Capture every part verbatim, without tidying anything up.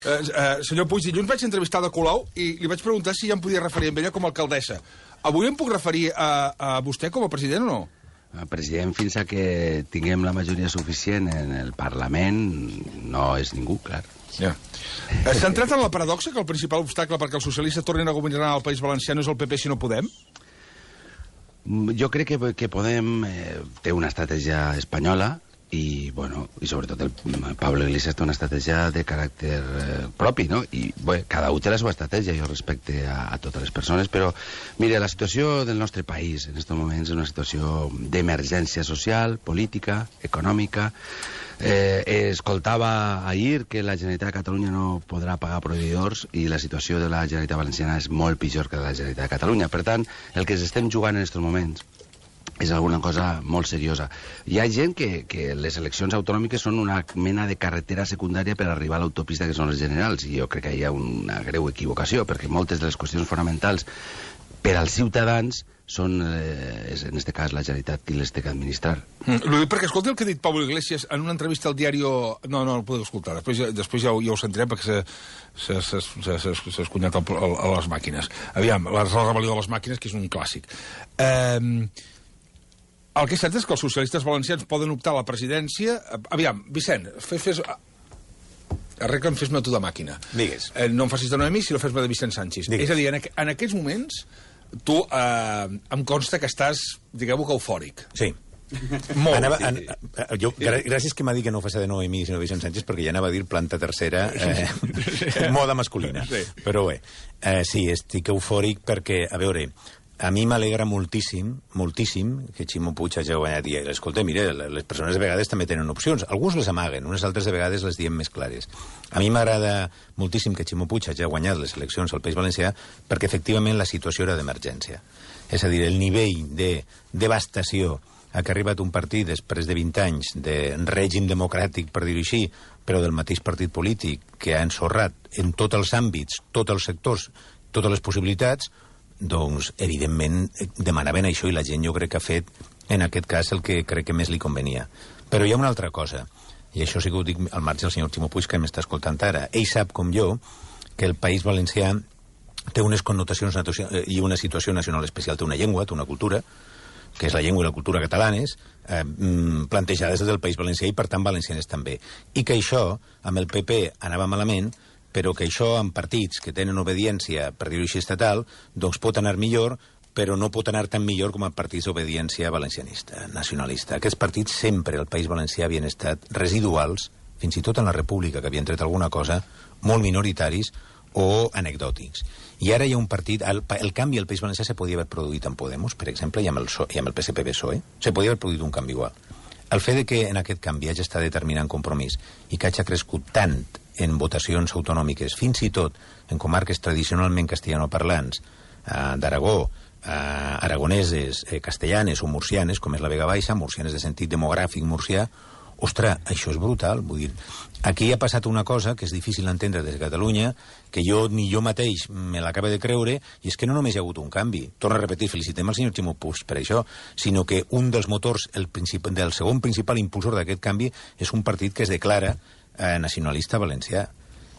Uh, uh, senyor Puig, dilluns vaig entrevistar de Colau i li vaig preguntar si ja em podia referir amb ella com a alcaldessa. Avui em puc referir a, a vostè com a president o no? El president, fins a que tinguem la majoria suficient en el Parlament, no és ningú, clar. Ja. S'ha entrat en la paradoxa que el principal obstacle perquè els socialistes tornin a governar al País Valencià no és el P P si no Podem? Jo crec que, que Podem eh, té una estratègia espanyola i, bueno, i sobretot el Pablo Iglesias té una estratègia de caràcter eh, propi, no? I, bé, cada un té la seva estratègia, jo respecte a, a totes les persones, però, mire, la situació del nostre país en aquests moments és una situació d'emergència social, política, econòmica. Eh, escoltava ahir que la Generalitat de Catalunya no podrà pagar proveïdors i la situació de la Generalitat Valenciana és molt pitjor que la Generalitat de Catalunya. Per tant, el que ens estem jugant en aquests moments és alguna cosa molt seriosa. Hi ha gent que, que les eleccions autonòmiques són una mena de carretera secundària per arribar a l'autopista que són les generals, i jo crec que hi ha una greu equivocació, perquè moltes de les qüestions fonamentals per als ciutadans són, eh, en aquest cas, la Generalitat qui les té que administrar. Mm, L'ho dic perquè escolti el que ha dit Pablo Iglesias en una entrevista al diari... No, no, no el podeu escoltar, després, després ja, ho, ja ho sentirem perquè s'ha escunyat a les màquines. Aviam, la rebel·lió de les màquines, que és un clàssic. Eh... El que és cert és que els socialistes valencians poden optar a la presidència... Aviam, Vicent, fes... fes... Arregla'm, fes-me tu de màquina. Digues. Eh, no em facis de Noemí, sinó fes-me de Vicent Sánchez. Digues. És a dir, en, aqu en aquests moments, tu eh, em consta que estàs, digueu-ho, que eufòric. Sí. Molt. Anava, an, jo, gràcies que m'ha dit que no ho fes de Noemí, sinó de Vicent Sánchez, perquè ja anava a dir planta tercera, eh, moda masculina. Sí. Però bé, eh, sí, estic eufòric perquè, a veure... A mi m'alegra moltíssim, moltíssim, que Ximo Puig hagi guanyat. I, escolta, mire, les persones de vegades també tenen opcions. Alguns les amaguen, unes altres de vegades les diem més clares. A mi m'agrada moltíssim que Ximo Puig hagi guanyat les eleccions al País Valencià perquè, efectivament, la situació era d'emergència. És a dir, el nivell de devastació a què ha arribat un partit després de vint anys de règim democràtic, per dir-ho així, però del mateix partit polític que ha ensorrat en tots els àmbits, tots els sectors, totes les possibilitats, doncs, evidentment, demanaven això i la gent jo crec que ha fet, en aquest cas, el que crec que més li convenia. Però hi ha una altra cosa, i això sí que ho dic al marge del senyor Ximo Puig, que m'està escoltant ara. Ell sap, com jo, que el País Valencià té unes connotacions i una situació nacional especial. Té una llengua, té una cultura, que és la llengua i la cultura catalanes, eh, plantejades des del País Valencià i, per tant, valencianes també. I que això, amb el P P, anava malament, però que això amb partits que tenen obediència, per dir-ho així, estatal, doncs pot anar millor, però no pot anar tan millor com a partits d'obediència valencianista, nacionalista. Aquests partits sempre al País Valencià havien estat residuals, fins i tot en la República, que havien tret alguna cosa, molt minoritaris o anecdòtics. I ara hi ha un partit... El, el canvi al País Valencià se podia haver produït amb Podemos, per exemple, i amb el, so, i amb el P S P B S O E. Se podia haver produït un canvi igual. El fet de que en aquest canvi hagi estat determinant compromís i que hagi crescut tant en votacions autonòmiques, fins i tot en comarques tradicionalment castellanoparlants, eh, d'Aragó, eh, aragoneses, eh, castellanes o murcianes, com és la Vega Baixa, murcianes de sentit demogràfic murcià, ostres, això és brutal. Vull dir, aquí ha passat una cosa que és difícil d'entendre des de Catalunya, que jo ni jo mateix me l'acaba de creure, i és que no només hi ha hagut un canvi. Torno a repetir, felicitem al senyor Ximo Puig per això, sinó que un dels motors, el del segon principal impulsor d'aquest canvi, és un partit que es declara eh, nacionalista valencià.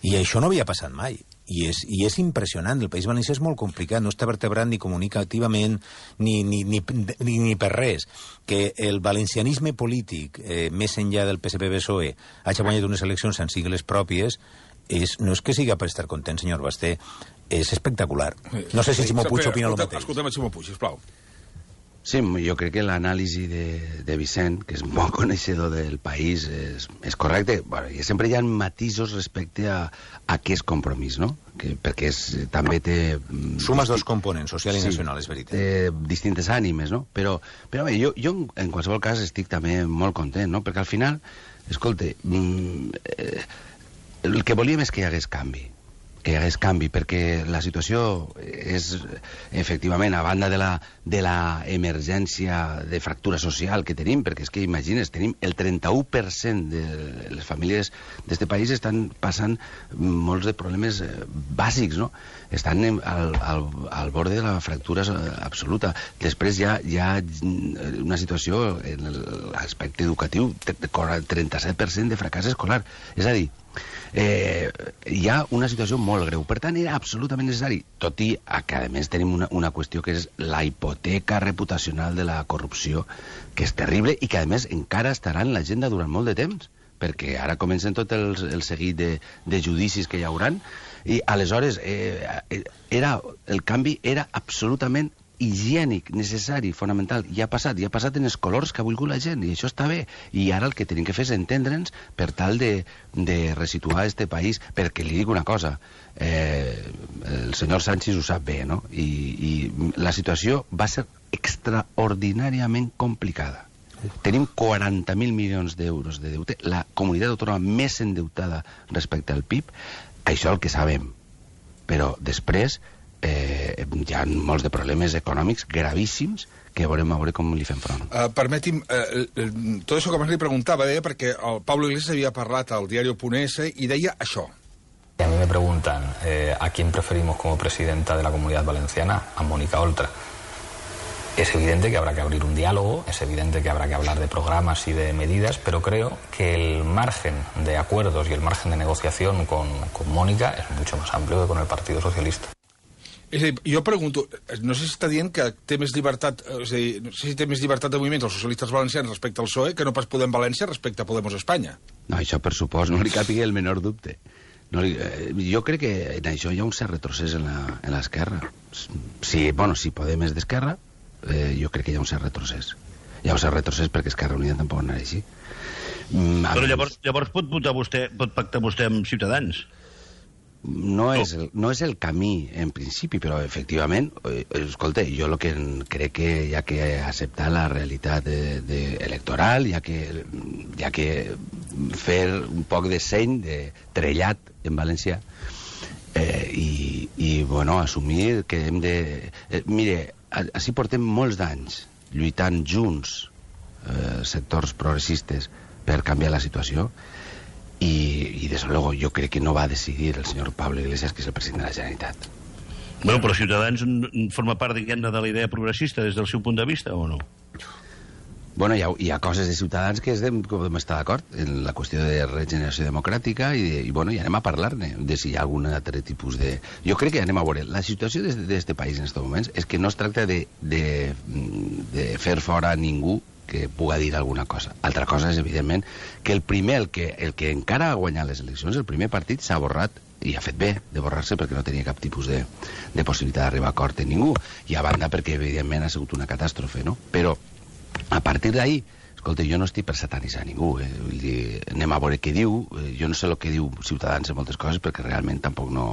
I això no havia passat mai. I és, i és impressionant. El País Valencià és molt complicat, no està vertebrat ni comunicativament ni, ni, ni, ni, ni per res. Que el valencianisme polític, eh, més enllà del P S P B S O E, hagi guanyat unes eleccions amb sigles pròpies, és, no és que siga per estar content, senyor Basté, és espectacular. No sé si Ximo Puig opina el mateix. Escoltem a Ximo Puig, sisplau. Sí, jo crec que l'anàlisi de, de Vicent, que és molt coneixedor del país, és, és correcte. Bueno, i sempre hi ha matisos respecte a, a què és compromís, no? Que, perquè és, també té... Sumes dos components, social i sí, nacional, és veritat. Té distintes ànimes, no? Però, però bé, jo, jo en qualsevol cas estic també molt content, no? Perquè al final, escolta, eh, el que volíem és que hi hagués canvi. que hi hagués canvi, perquè la situació és, efectivament, a banda de la, de la emergència de fractura social que tenim, perquè és que, imagines, tenim el trenta-u per cent de les famílies d'este país estan passant molts de problemes bàsics, no? Estan al, al, al borde de la fractura absoluta. Després hi ha, hi ha una situació en l'aspecte educatiu, trenta-set per cent de fracàs escolar. És a dir, Eh, hi ha una situació molt greu. Per tant, era absolutament necessari, tot i que, a més, tenim una, una qüestió que és la hipoteca reputacional de la corrupció, que és terrible i que, a més, encara estarà en l'agenda durant molt de temps, perquè ara comencen tot el, el seguit de, de judicis que hi hauran, i aleshores eh, era, el canvi era absolutament higiènic, necessari, fonamental. Ja ha passat, ja ha passat en els colors que ha volgut la gent, i això està bé. I ara el que tenim que fer és entendre'ns per tal de, de resituar este país, perquè li dic una cosa, eh, el senyor Sánchez ho sap bé, no? I, i la situació va ser extraordinàriament complicada. Tenim quaranta mil milions d'euros de deute, la comunitat autònoma més endeutada respecte al P I B, això el que sabem. Però després Eh, hi ha molts de problemes econòmics gravíssims que veurem a veure com li fem front. Uh, permeti'm, uh, uh, tot això que abans li preguntava, deia, perquè el Pablo Iglesias havia parlat al diario Punese i deia això. A mí me preguntan eh, a quién preferimos como presidenta de la Comunidad Valenciana, a Mónica Oltra. Es evidente que habrá que abrir un diálogo, es evidente que habrá que hablar de programas y de medidas, pero creo que el margen de acuerdos y el margen de negociación con, con Mónica es mucho más amplio que con el Partido Socialista. És a dir, jo pregunto, no sé si està dient que té més llibertat, és a dir, no sé si té més llibertat de moviments els socialistes valencians respecte al P S O E que no pas Podem València respecte a Podemos Espanya. No, això per supost, no li càpiga el menor dubte. No li, eh, jo crec que en això hi ha un cert retrocés en l'esquerra. Si, bueno, si Podem és d'esquerra, eh, jo crec que hi ha un cert retrocés. Hi ha un cert retrocés perquè Esquerra Unida tampoc anarà així. Mm, Però llavors, llavors pot votar vostè, pot pactar vostè amb Ciutadans? No és, el, no és el camí, en principi, però efectivament, eh, escolta, jo el que crec que hi ha que acceptar la realitat de, de electoral, hi ha que, hi ha que fer un poc de seny, de trellat en valencià, eh, i, i, bueno, assumir que hem de... Eh, mire, així portem molts d'anys lluitant junts, eh, sectors progressistes, per canviar la situació, y, y desde luego yo creo que no va a decidir el señor Pablo Iglesias, que es el presidente de la Generalitat. Bueno, però Ciutadans forma part, diguem-ne, de la idea progressista des del seu punt de vista, o no? Bueno, hi ha, hi ha coses de Ciutadans que es de, podem estar d'acord en la qüestió de regeneració democràtica i, de, i bueno, i anem a parlar-ne de si hi ha algun altre tipus de... Jo crec que anem a veure. La situació d'aquest país en aquests moments és que no es tracta de, de, de fer fora a ningú que puga dir alguna cosa. Altra cosa és, evidentment, que el primer, el que, el que encara ha guanyat les eleccions, el primer partit s'ha borrat, i ha fet bé de borrar-se perquè no tenia cap tipus de, de possibilitat d'arribar a acord amb ningú, i a banda perquè, evidentment, ha sigut una catàstrofe, no? Però, a partir d'ahí, escolta, jo no estic per satanitzar ningú, eh? Vull dir, anem a veure què diu, jo no sé el que diu Ciutadans en moltes coses, perquè realment tampoc no...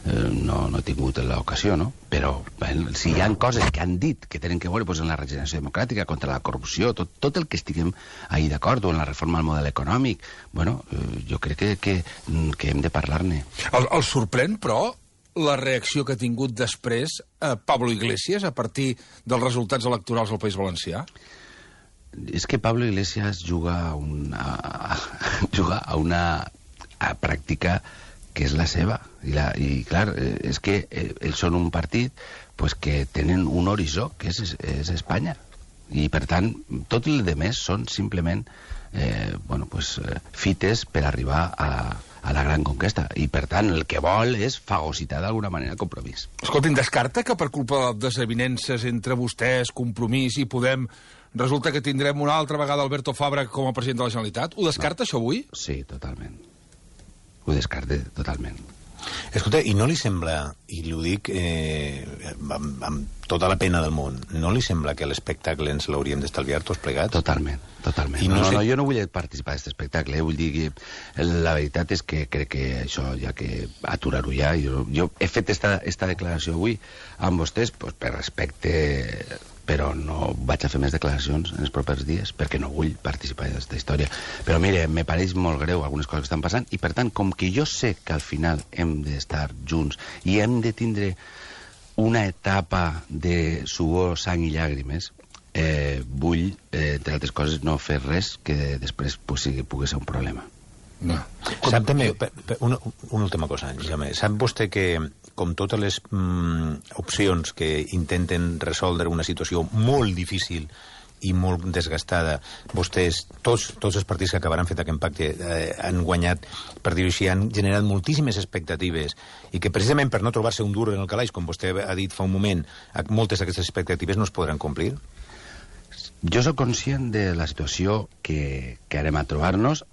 No, no he tingut l'ocasió, no? Però bueno, si hi ha coses que han dit que tenen que veure pues, en la regeneració democràtica, contra la corrupció, tot, tot el que estiguem ahí d'acord, o en la reforma del model econòmic, bueno, eh, jo crec que, que, que hem de parlar-ne. El, el sorprèn, però, la reacció que ha tingut després eh, Pablo Iglesias a partir dels resultats electorals al País Valencià? És que Pablo Iglesias juga a una, juga a una a pràctica que és la seva, i, la, i clar, és que ells són un partit pues, que tenen un horitzó que és, és Espanya, i per tant tot el de més són simplement eh, bueno, pues, fites per arribar a, a la gran conquesta, i per tant el que vol és fagocitar d'alguna manera el compromís. Escolti'm, descarta que per culpa de desavinences entre vostès, Compromís i Podem, resulta que tindrem una altra vegada Alberto Fabra com a president de la Generalitat? Ho descarta, no. Això avui? Sí, totalment. Ho descarte totalment. Escolta, i no li sembla, i l'ho dic eh, amb, amb tota la pena del món, no li sembla que l'espectacle ens l'hauríem d'estalviar tots plegats? Totalment, totalment. I no, no, sé... no, jo no vull participar d'aquest espectacle, eh? Vull dir que la veritat és que crec que això ja que aturar-ho ja. Jo, jo he fet esta, esta declaració avui amb vostès pues, per respecte, però no vaig a fer més declaracions en els propers dies perquè no vull participar d'aquesta història. Però mire, me pareix molt greu algunes coses que estan passant, i per tant, com que jo sé que al final hem d'estar junts i hem de tindre una etapa de suor, sang i llàgrimes, eh, vull, eh, entre altres coses, no fer res que després pues, sigui, pugui ser un problema. No. Sap també, per, per, una, una última cosa, Jaume, sap vostè que com totes les mm, opcions que intenten resoldre una situació molt difícil i molt desgastada. Vostès, tots, tots els partits que acabaran fet aquest pacte eh, han guanyat, per dir-ho així, han generat moltíssimes expectatives i que precisament per no trobar-se un dur en el calaix, com vostè ha dit fa un moment, moltes d'aquestes expectatives no es podran complir? Jo sóc conscient de la situació que, que harem a trobar-nos,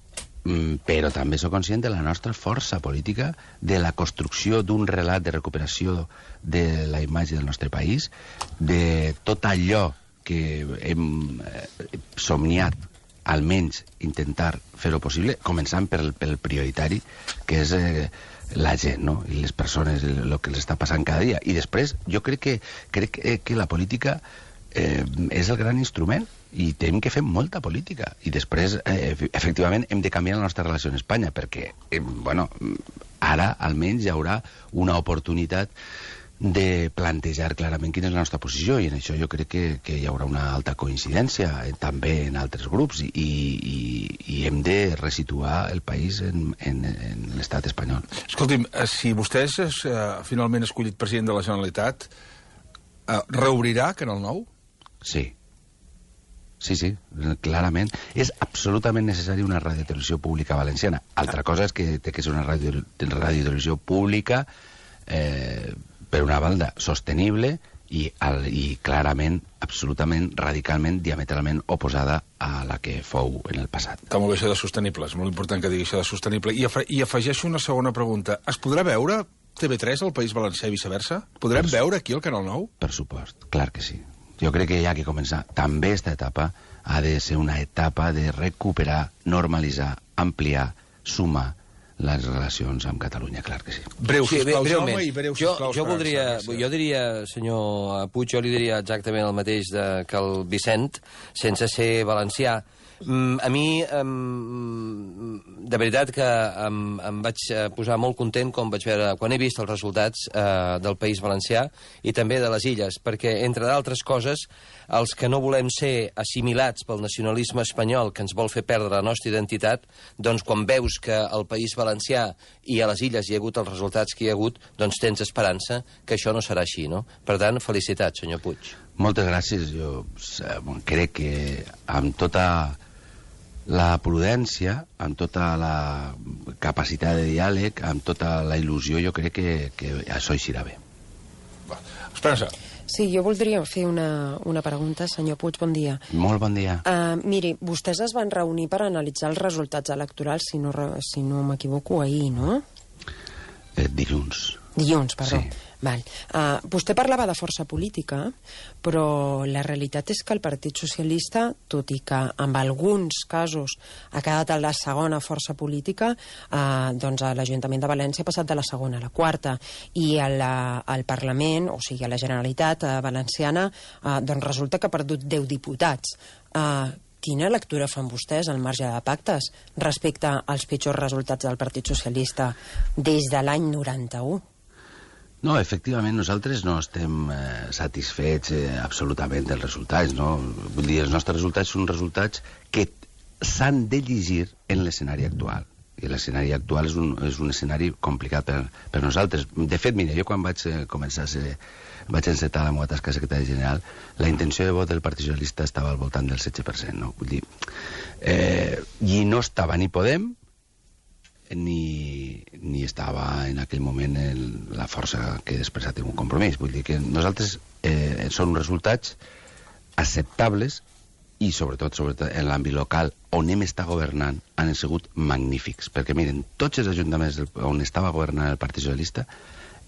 però també sóc conscient de la nostra força política, de la construcció d'un relat de recuperació de la imatge del nostre país, de tot allò que hem somniat, almenys intentar fer-ho possible, començant pel, pel prioritari, que és eh, la gent, no? I les persones, el, el que els està passant cada dia. I després, jo crec que, crec que, que la política eh, és el gran instrument, i tenim que fer molta política. I després, eh, efectivament, hem de canviar la nostra relació amb Espanya, perquè, eh, bueno, ara almenys hi haurà una oportunitat de plantejar clarament quina és la nostra posició, i en això jo crec que, que hi haurà una alta coincidència, eh, també en altres grups, i, i, i hem de resituar el país en, en, en l'estat espanyol. Escolti'm, si vostè és eh, finalment escollit president de la Generalitat, eh, reobrirà Canal nou? Sí. Sí, sí, clarament. És absolutament necessari una radiotelevisió pública valenciana. Altra cosa és que té que ser una radio, radiotelevisió pública eh, per una banda sostenible i, al, i clarament, absolutament, radicalment, diametralment oposada a la que fou en el passat. Està molt bé això de sostenible, és molt important que digui això de sostenible. I, afe i afegeixo una segona pregunta. Es podrà veure T V tres al País Valencià i viceversa? Podrem per veure aquí el Canal nou? Per supost, clar que sí. Jo crec que hi ha que començar. També aquesta etapa ha de ser una etapa de recuperar, normalitzar, ampliar, sumar les relacions amb Catalunya, clar que sí. Breu, sí, sisplau, breument. Jaume, i breu, jo, sisplau. Jo, voldria, jo diria, senyor Puig, jo li diria exactament el mateix de, que el Vicent, sense ser valencià. Mm, a mi, um, de veritat que em, em vaig posar molt content quan vaig veure, quan he vist els resultats uh, del País Valencià i també de les Illes, perquè, entre d'altres coses, els que no volem ser assimilats pel nacionalisme espanyol que ens vol fer perdre la nostra identitat, doncs quan veus que al País Valencià i a les Illes hi ha hagut els resultats que hi ha hagut, doncs tens esperança que això no serà així, no? Per tant, felicitats, senyor Puig. Moltes gràcies. Jo crec que amb tota la prudència, amb tota la capacitat de diàleg, amb tota la il·lusió, jo crec que, que això eixirà bé. Esperança. Sí, jo voldria fer una, una pregunta, senyor Puig, bon dia. Molt bon dia. Uh, miri, vostès es van reunir per analitzar els resultats electorals, si no, si no m'equivoco, ahir, no? Eh, dilluns. Dilluns, perdó. Sí. Val. Uh, vostè parlava de força política, però la realitat és que el Partit Socialista, tot i que en alguns casos ha quedat a la segona força política, uh, doncs a l'Ajuntament de València ha passat de la segona a la quarta, i al, al Parlament, o sigui a la Generalitat uh, Valenciana, uh, doncs resulta que ha perdut deu diputats. Uh, Quina lectura fan vostès al marge de pactes respecte als pitjors resultats del Partit Socialista des de l'any noranta-u? No, efectivament, nosaltres no estem eh, satisfets eh, absolutament dels resultats, no? Vull dir, els nostres resultats són resultats que s'han de llegir en l'escenari actual. I l'escenari actual és un, és un escenari complicat per, per nosaltres. De fet, mira, jo quan vaig eh, començar a ser, vaig encetar la meva tasca de secretari general, la intenció de vot del Partit Socialista estava al voltant del setze per cent, no? Vull dir, eh, i no estava ni Podem, ni, ni estava en aquell moment el, la força que després ha tingut un compromís. Vull dir que nosaltres eh, són resultats acceptables i sobretot, sobretot en l'àmbit local on hem estat governant han sigut magnífics, perquè miren, tots els ajuntaments on estava governant el Partit Socialista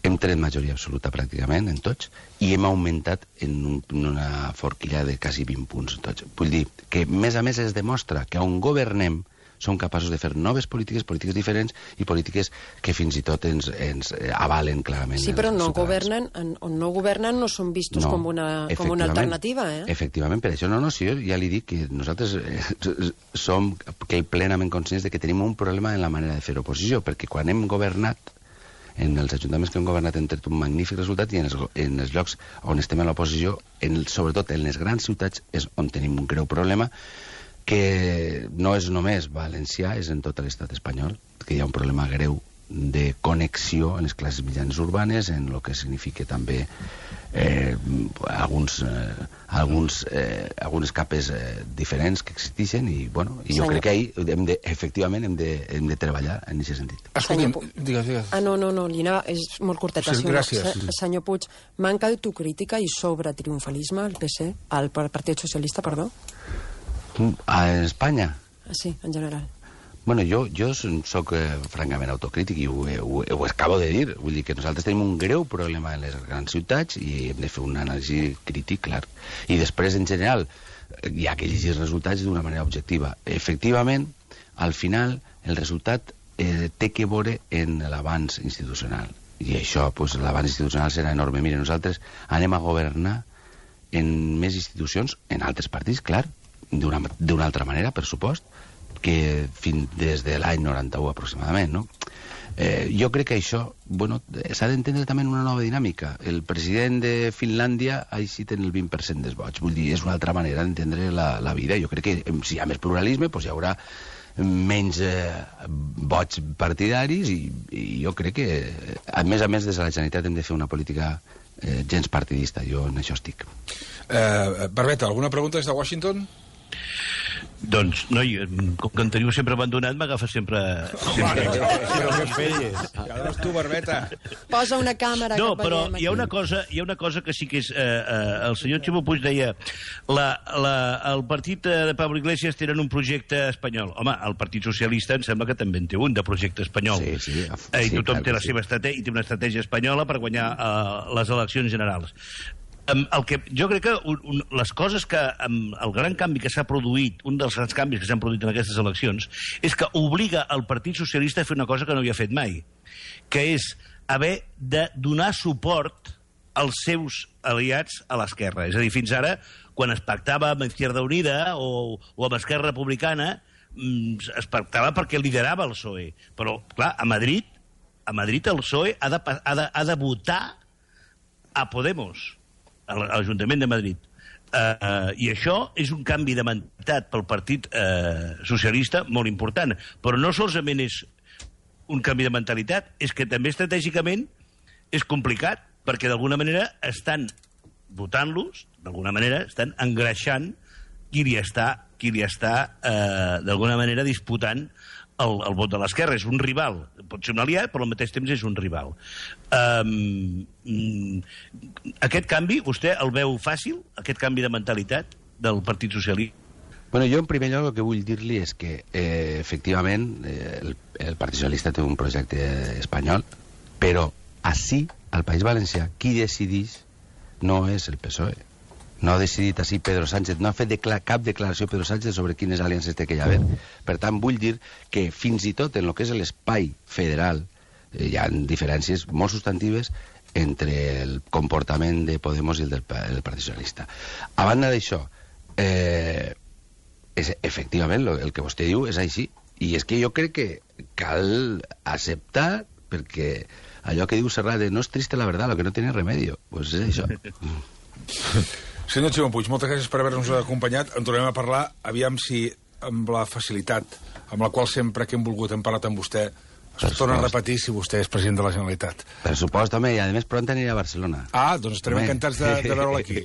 hem tret majoria absoluta pràcticament en tots i hem augmentat en, un, en una forquilla de quasi vint punts en tots. Vull dir que a més a més es demostra que on governem som capaços de fer noves polítiques, polítiques diferents i polítiques que fins i tot ens, ens avalen clarament. Sí, però no governen, on no governen no són vistos no, com, una, com una alternativa, eh? Efectivament, per això no, no, sí, jo ja li dic que nosaltres eh, som que plenament conscients de que tenim un problema en la manera de fer oposició, perquè quan hem governat en els ajuntaments que hem governat hem tret un magnífic resultat i en els, en els llocs on estem a l'oposició, sobretot en les grans ciutats, és on tenim un greu problema que no és només valencià, és en tot l'estat espanyol, que hi ha un problema greu de connexió en les classes mitjanes urbanes, en el que significa també eh, alguns, eh, alguns, eh, algunes capes eh, diferents que existeixen i, bueno, i jo Senyor... crec que ahir, hem de, efectivament, hem de, hem de treballar en aquest sentit. Escolti'm, Senyor Pu- digues, digues. Ah, no, no, no, li anava, és molt curteta. Sí, senyor- gràcies. se- Senyor Puig, manca d'autocrítica i sobre triomfalisme al P C, al Partit Socialista, perdó? A Espanya? Ah, sí, en general. Bueno, jo, jo soc eh, francament autocrític i ho, ho, ho acabo de dir. Vull dir que nosaltres tenim un greu problema en les grans ciutats i hem de fer un anàlisi crític, clar. I després, en general, hi ha que llegir els resultats d'una manera objectiva. Efectivament, al final, el resultat eh, té que veure en l'avanç institucional. I això, pues, l'avanç institucional serà enorme. Mire, nosaltres anem a governar en més institucions, en altres partits, clar, d'una d'una altra manera, per supost, que fins des de l'any noranta-u aproximadament, no? Eh, jo crec que això, bueno, s'ha d'entendre també en una nova dinàmica. El president de Finlàndia així té el vint per cent dels vots. Vull dir, és una altra manera d'entendre la, la vida. Jo crec que si hi ha més pluralisme, doncs hi haurà menys eh, vots partidaris i, i jo crec que, a més a més, des de la Generalitat hem de fer una política eh, gens partidista. Jo en això estic. Eh, Barbeta, alguna pregunta des de Washington? Doncs, noi, com que en teniu sempre abandonat, m'agafa sempre... sempre... Però què feies? Llavors tu, Barbeta. Posa una càmera No, que però veiem hi ha aquí. una cosa, hi ha una cosa que sí que és... Eh, eh, el senyor Ximo Puig deia la, la, el partit de Pablo Iglesias tenen un projecte espanyol. Home, el Partit Socialista em sembla que també en té un, de projecte espanyol. Sí, sí, Eh, I sí, tothom clar té que la sí. seva estratègia, i té una estratègia espanyola per guanyar eh, les eleccions generals. Um, el que, jo crec que un, un, les coses que... Um, el gran canvi que s'ha produït, un dels grans canvis que s'han produït en aquestes eleccions, és que obliga el Partit Socialista a fer una cosa que no havia fet mai, que és haver de donar suport als seus aliats a l'esquerra. És a dir, fins ara, quan es pactava amb Izquierda Unida o, o amb Esquerra Republicana, mm, es pactava perquè liderava el P S O E. Però, clar, a Madrid, a Madrid el P S O E ha de, ha de, ha de votar a Podemos, a l'Ajuntament de Madrid. Uh, uh, I això és un canvi de mentalitat pel Partit uh, Socialista molt important. Però no solament és un canvi de mentalitat, és que també estratègicament és complicat, perquè d'alguna manera estan votant-los, d'alguna manera estan engreixant qui li està, qui li està uh, d'alguna manera disputant el, el vot de l'esquerra. És un rival. Pot ser un aliat, però al mateix temps és un rival. Um, aquest canvi, vostè el veu fàcil, aquest canvi de mentalitat del Partit Socialista? Bueno, jo en primer lloc el que vull dir-li és que eh, efectivament eh, el, el Partit Socialista té un projecte espanyol, però ací, al País Valencià, qui decideix no és el P S O E. No ha decidit així Pedro Sánchez, no ha fet decla cap declaració Pedro Sánchez sobre quines aliances té que hi haver. Per tant, vull dir que fins i tot en el que és l'espai federal eh, hi ha diferències molt substantives entre el comportament de Podemos i el del el Partit Socialista. A banda d'això, eh, és, efectivament, lo, el que vostè diu és així. I és que jo crec que cal acceptar, perquè allò que diu Serrat de no és triste la verdad, lo que no tiene remedio, pues és això. Senyor Ximo Puig, moltes gràcies per haver-nos acompanyat. En tornem a parlar, aviam si amb la facilitat amb la qual sempre que hem volgut hem parlat amb vostè es torna a repetir si vostè és president de la Generalitat. Per supost, home, i a més pront aniré a Barcelona. Ah, doncs estarem encantats de, de veure'l aquí.